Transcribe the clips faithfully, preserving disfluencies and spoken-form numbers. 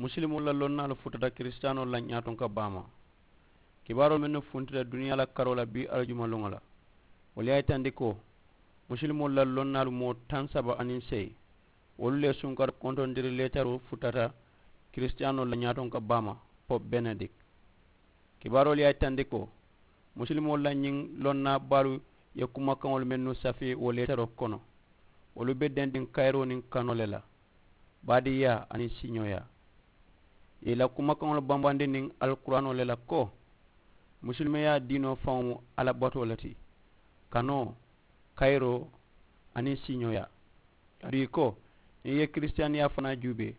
Musulimoolu la lonnaalu futata kiristiyaanoolu la ñaatonka baamaa. Kibaaroo mennu funtita duniyaa la karoo la bii aljuma luŋo la, wolu ye a yitandi ko musulimoolu la lonnaalu moo taŋ saba aniŋ seyi wolu le sunkari kontondiri leetaroo futata kiristiyaanoolu la ñaatonka baamaa. Pope benedik kibaaroolu ye a yitandi ko musulimoolu la ñiŋ lonnaa baalu ye kumakaŋolu mennu safee wo leetaroo kono wolu be dendiŋ kayiroo niŋ kanoo le la, baadiiyaa aniŋ siiñooyaa. Ì ye i la kumakaŋolu bambandi niŋ alkuraanoo le la ko musulimiyaa diinoo faŋo mu alla batoo le ti, kanoo, kayiroo, aniŋ siiñooyaa. Aduŋ ì ko niŋ i ye kirisitiyaaniyaa fanaa juubee,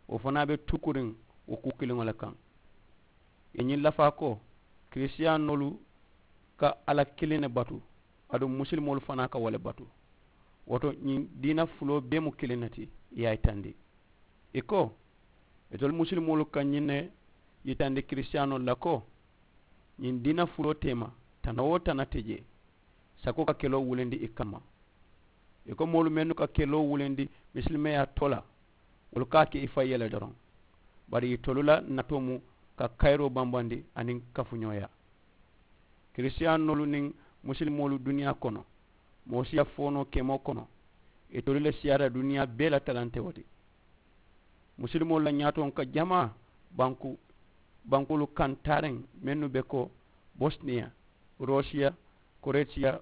wo fanaa be tuukuriŋ wo kuu kiliŋo le kaŋ. Ì ye ñiŋ lafaa ko kirisitiyaanoolu ka alla kiliŋ ne batu, aduŋ musulimoolu fanaa ka wo le batu. Wo to ñiŋ diina fuloo bee mu kiliŋ ne ti. Ì ye a yitandi ì ko itelu musulimoolu ka ñiŋ ne yitandi kirisitiyaanoolu la ko ñiŋ diina fuloo teema tana-wo-tana te jee, sakoo ka keloo wulindi ì kamma. Ì ko moolu mennu ka keloo wulindi misilimeyaa too la, wolu ka a ke ì fayi ye le doroŋ. Bari itolu la natoo mu ka kayiroo bambandi aniŋ kafuñooyaa. Kirisitiyaanoolu niŋ musulimoolu duniyaa kono, moo siya foonoo kemoo kono, itolu le siyaata duniyaa bee la talantewo ti. Musulimoolu la ñaatonka jamaa banku bankoolu kaŋ taariŋ mennu be ko bosniya, rosiya, koretiya,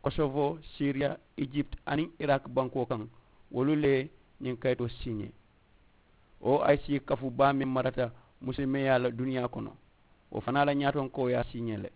kosovo, siriya, ijipti aniŋ iraki bankoo kaŋ, wolu le ye ñiŋ kayitoo siiñee. Oic kafu baa meŋ marata musulimiyaa la duniyaa kono, wo fanaa la ñaatonkoo ye a siiñee le.